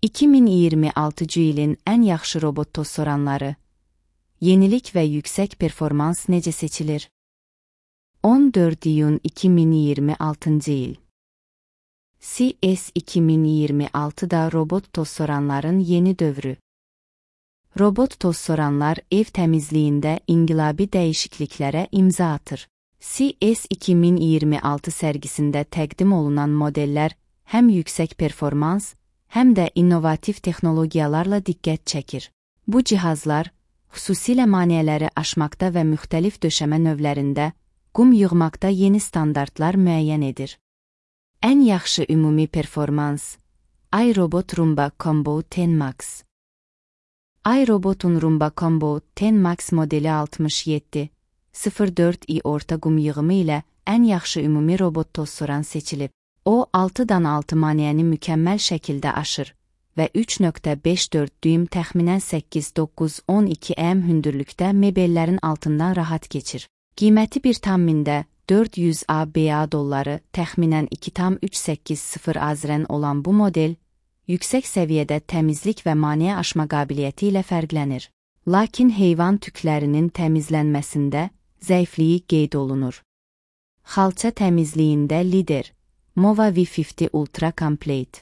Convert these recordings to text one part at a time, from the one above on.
2026-cı ilin ən yaxşı robot toz soranları. Yenilik və yüksək performans necə seçilir? 14 iyun 2026-cı il. CES 2026-da robot toz soranların yeni dövrü. Robot toz soranlar ev təmizliyində inqilabi dəyişikliklərə imza atır. CES 2026 sərgisində təqdim olunan modellər həm yüksək performans, həm də innovativ texnologiyalarla diqqət çəkir. Bu cihazlar, xüsusilə maneələri aşmaqda və müxtəlif döşəmə növlərində, qum yığmaqda yeni standartlar müəyyən edir. Ən yaxşı ümumi performans, iRobot Roomba Combo 10 Max. iRobot'un Roomba Combo 10 Max modeli 67.04i orta qum yığımı ilə ən yaxşı ümumi robot toz soran seçilib. O, 6'dan 6 maneəni mükəmməl şəkildə aşır və 3.54 düym təxminən 8-9-12 m hündürlükdə mebellərin altından rahat keçir. Qiyməti 1,400 ABA dolları təxminən 2,380 AZRN olan bu model, yüksək səviyyədə təmizlik və maneə aşma qabiliyyəti ilə fərqlənir. Lakin heyvan tüklərinin təmizlənməsində zəifliyi qeyd olunur. Xalça təmizliyində lider, Mova V50 Ultra Complete.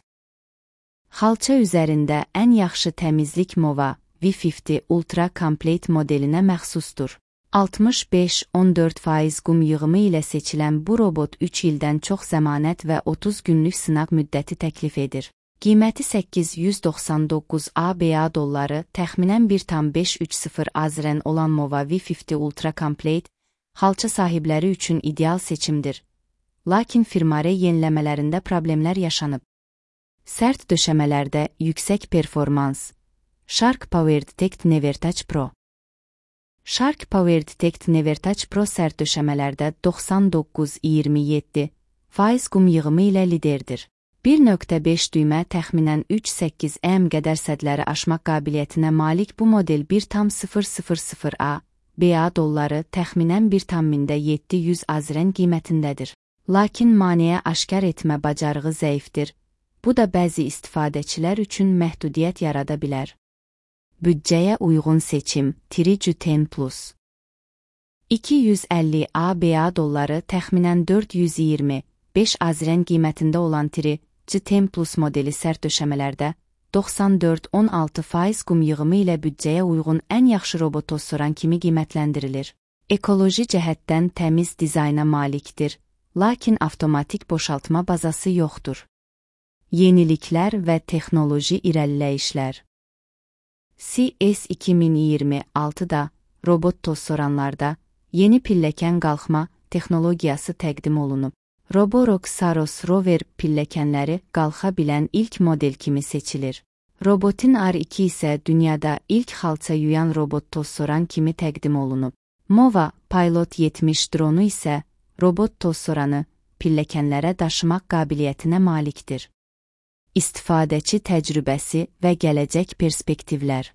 Xalça üzərində ən yaxşı təmizlik Mova V50 Ultra Complete modelinə məxsusdur. 65-14% qum yığımı ilə seçilən bu robot 3 ildən çox zəmanət və 30 günlük sınaq müddəti təklif edir. Qiyməti 899 ABA dolları təxminən 1,530 AZRN olan Mova V50 Ultra Complete, xalça sahibləri üçün ideal seçimdir. Lakin firmare yeniləmələrində problemlər yaşanıb. Sərt döşəmələrdə yüksək performans. Shark PowerDetect NeverTouch Pro. Shark PowerDetect NeverTouch Pro sərt döşəmələrdə 99-27% qum yığımı ilə liderdir. 1.5 düymə təxminən 3-8 m qədər sədləri aşmaq qabiliyyətinə malik bu model 1,000 ABA dolları təxminən 1,700 AZRN qiymətindədir. Lakin maneə aşkar etmə bacarığı zəifdir. Bu da bəzi istifadəçilər üçün məhdudiyyət yarada bilər. Büdcəyə uyğun seçim Triju 10+. 250 ABA dolları təxminən 425 AZRN qiymətində olan Triju 10+ modeli sərt döşəmələrdə 94-16% qum yığımı ilə büdcəyə uyğun ən yaxşı robot toz soran kimi qiymətləndirilir. Ekoloji cəhətdən təmiz dizayna malikdir. Lakin avtomatik boşaltma bazası yoxdur. Yeniliklər və texnoloji irəliləyişlər. CES 2026-da robot toz soranlarda yeni pilləkən qalxma texnologiyası təqdim olunub. Roborock Saros Rover pilləkənləri qalxa bilən ilk model kimi seçilir. Robotin R2 isə dünyada ilk xalça yuyan robot toz soran kimi təqdim olunub. Mova Pilot 70 dronu isə robot toz soranı pilləkənlərə daşımaq qabiliyyətinə malikdir. İstifadəçi təcrübəsi və gələcək perspektivlər.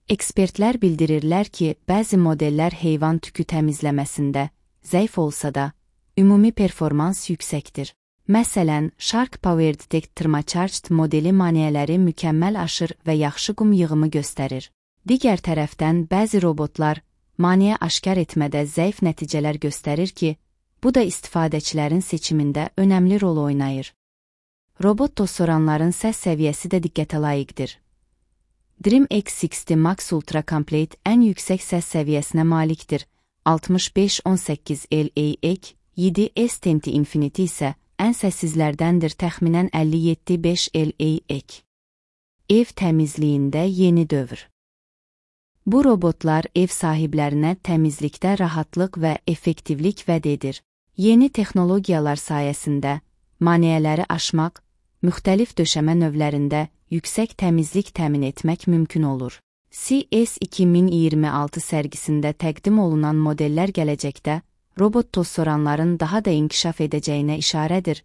Ekspertlər bildirirlər ki, bəzi modellər heyvan tükü təmizləməsində zəif olsa da, ümumi performans yüksəkdir. Məsələn, Shark PowerDetect Thermocharged modeli maneələri mükəmməl aşır və yaxşı qum yığımı göstərir. Digər tərəfdən bəzi robotlar maneə aşkar etmədə zəif nəticələr göstərir ki, bu da istifadəçilərin seçimində önəmli rol oynayır. Robot toz soranların səs səviyyəsi də diqqətə layiqdir. Dream X60 Max Ultra Complete ən yüksək səs səviyyəsinə malikdir. 65-18 LAEC, 7 S10 Infinity isə ən səssizlərdəndir təxminən 57-5 LAEC. Ev təmizliyində yeni dövr. Bu robotlar ev sahiblərinə təmizlikdə rahatlıq və effektivlik vəd edir. Yeni texnologiyalar sayəsində maneələri aşmaq, müxtəlif döşəmə növlərində yüksək təmizlik təmin etmək mümkün olur. CES 2026 sərgisində təqdim olunan modellər gələcəkdə robot toz soranların daha da inkişaf edəcəyinə işarədir.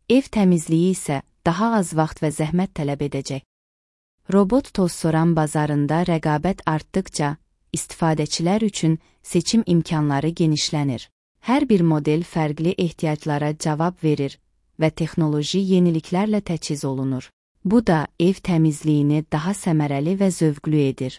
Ev təmizliyi isə daha az vaxt və zəhmət tələb edəcək. Robot toz soran bazarında rəqabət artdıqca, istifadəçilər üçün seçim imkanları genişlənir. Hər bir model fərqli ehtiyaclara cavab verir və texnoloji yeniliklərlə təchiz olunur. Bu da ev təmizliyini daha səmərəli və zövqlü edir.